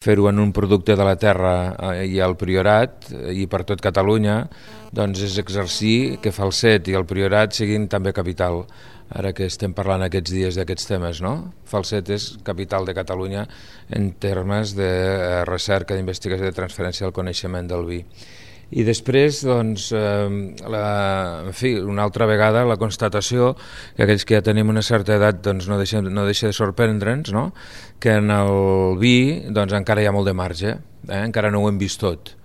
fer-ho en un producte de la terra i al Priorat i per tot Catalunya, doncs és exercir que Falset i el Priorat siguin també capital, ara que estem parlant aquests dies d'aquests temes, no? Falset és capital de Catalunya en termes de recerca, d'investigació, de transferència del coneixement del vi. I després, doncs, en fi, una altra vegada la constatació que aquells que ja tenim una certa edat doncs, no deixa de sorprendre'ns, no? Que en el vi doncs, encara hi ha molt de marge, encara no ho hem vist tot.